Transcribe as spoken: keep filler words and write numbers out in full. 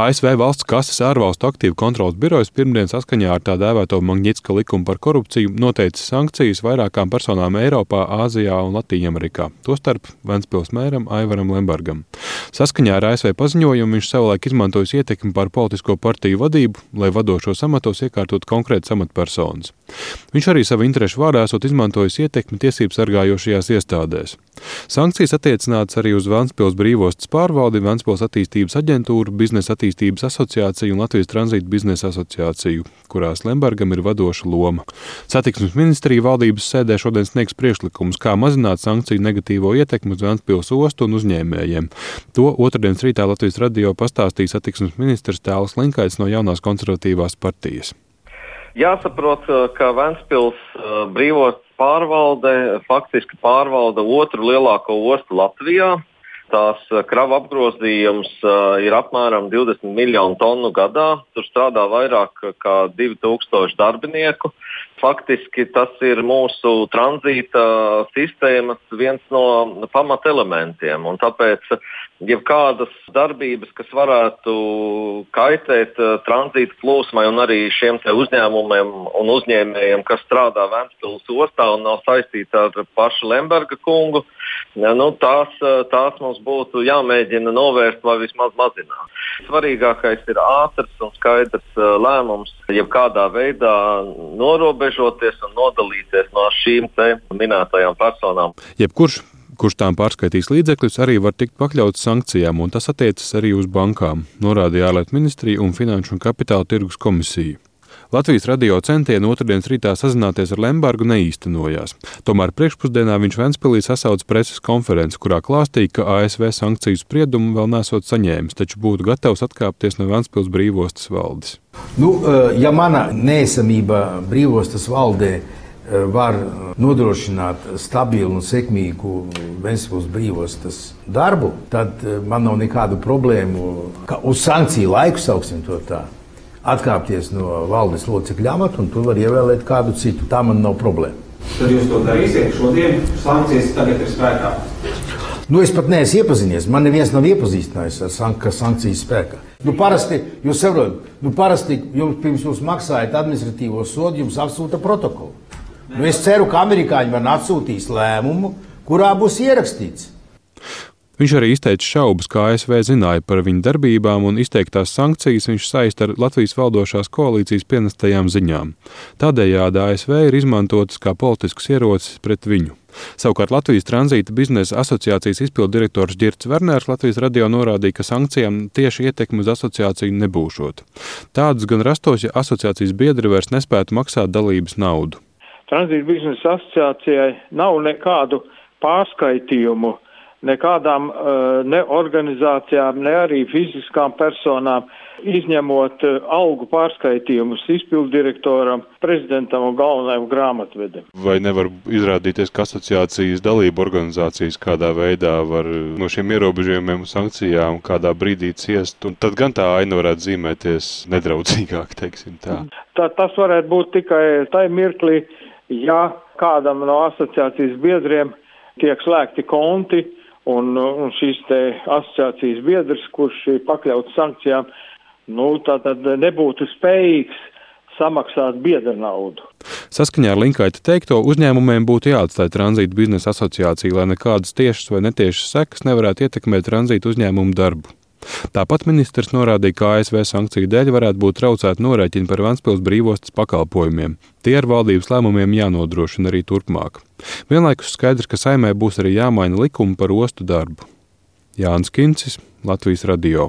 A S V valsts kases ārvalstu aktīvu kontroles birojas pirmdien saskaņā ar tā dēvēto Magnitska likumu par korupciju noteica sankcijas vairākām personām Eiropā, Āzijā un Latīņamerikā, tostarp Ventspils mēram Aivaram Lembergam. Saskaņā ar A S V paziņojumu viņš savulaik izmantojis ietekmi pār politisko partiju vadību, lai vadošos amatos iekārtot konkrētas amatpersonas. Viņš arī savu interešu vārdā esot izmantojis ietekmi tiesību sargājošajās iestādēs. Sankcijas attiecināts arī uz Ventspils brīvostas pārvaldi, Ventspils attīstības aģentūru, Biznesa attīstības asociāciju un Latvijas tranzīta biznesa asociāciju, kurās Lembergam ir vadoša loma. Satiksmes ministrija valdības sēdē šodien sniegs priekšlikumus, kā mazināt sankciju negatīvo ietekmi uz Ventspils ostu un uzņēmējiem. To otrdienas rītā Latvijas radio pastāstīja satiksmes ministrs Tālis Linkaits no Jaunās konservatīvās partijas. Jāsaprot, ka Ventspils brīvostas pārvalde faktiski pārvalda otru lielāko ostu Latvijā. Tās krava apgrozījums ir apmēram divdesmit miljonu tonu gadā. Tur strādā vairāk kā divi tūkstoši darbinieku. Faktiski tas ir mūsu tranzīta sistēmas viens no pamatelementiem. Un tāpēc jebkādas darbības, kas varētu kaitēt tranzīta plūsmai un arī šiem te uzņēmumiem un uzņēmējiem, kas strādā Ventspils ostā un nav saistīti ar pašu Lemberga kungu, nu, tās, tās mums būtu jāmēģina novērst vai vismaz mazināt. Svarīgākais ir ātrs un skaidrs lēmums, jebkādā veidā norobežoties un nodalīties no šīm te minētajām personām. Jebkurš, kurš tām pārskaitīs līdzekļus, arī var tikt pakļauts sankcijām, un tas attiecas arī uz bankām, norādīja ārlietu ministrija un Finanšu un kapitāla tirgus komisija. Latvijas radio centieni otrdienas rītā sazināties ar Lembergu neīstenojās. Tomēr priekšpusdienā viņš Ventspilī sasauca preses konferenci, kurā klāstīja, ka A S V sankciju spriedumu vēl nesot saņēmis, taču būtu gatavs atkāpties no Ventspils brīvostas valdes. Nu, ja mana neesamība brīvostas valdē var nodrošināt stabilu un sekmīgu Ventspils brīvostas darbu, tad man nav nekādu problēmu, ka uz sankciju laiku, sauksim to tā, atkāpties no valdes locekļa amata, un tur var ievēlēt kādu citu. Tā man nav problēma. Tad jūs to darīsiet šodien? Sankcijas tagad ir spēkā. Nu, es pat neesmu iepazinies. Man neviens nav iepazīstinājis ar sank sankcijas spēkā. Nu, parasti, jūs saprotat, nu, parasti jums pirms jūs maksājat administratīvo sodu, jums atsūta protokolu. Nu, es ceru, ka amerikāņi man atsūtīs lēmumu, kurā būs ierakstīts. Viņš arī izteica šaubas, kā A S V zināja par viņu darbībām, un izteiktās sankcijas viņš saista ar Latvijas valdošās koalīcijas pienestajām ziņām. Tādējādi A S V ir izmantotas kā politisks ierocis pret viņu. Savukārt Latvijas tranzīta biznesa asociācijas izpildu direktors Ģirts Vernērs Latvijas radio norādīja, ka sankcijām tieši ietekmi uz asociāciju nebūšot. Tādas gan rastos, ja asociācijas biedri vairs nespētu maksāt dalības naudu. Tranzīta biznesa asociācijai nav nekādu pārskaitījumu nekādām ne organizācijām, ne arī fiziskām personām, izņemot algu pārskaitījumus izpilddirektoram, prezidentam un galvenajam grāmatvedam. Vai nevar izrādīties, ka asociācijas dalība organizācijas kādā veidā var no šiem ierobežojumiem un sankcijām kādā brīdī ciest, un tad gan tā aina varētu zīmēties nedraudzīgāk, teiksim tā? tā tas varētu būt tikai tai mirklī, ja kādam no asociācijas biedriem tiek slēgti konti, Un, un šīs te asociācijas biedrs, kurš ir pakļauts sankcijām, nu, tātad nebūtu spējīgs samaksāt biedra naudu. Saskaņā ar Linkaita teikto, uzņēmumiem būtu jāatstāj tranzīta biznesa asociācija, lai nekādas tiešas vai netiešas sekas nevarētu ietekmēt tranzīta uzņēmumu darbu. Tāpat ministrs norādīja, ka A S V sankciju dēļ varētu būt traucēti norēķini par Ventspils brīvostas pakalpojumiem. Tie ar valdības lēmumiem jānodrošina arī turpmāk. Vienlaikus skaidrs, ka Saeimai būs arī jāmaina likumi par ostu darbu. Jānis Kincis, Latvijas radio.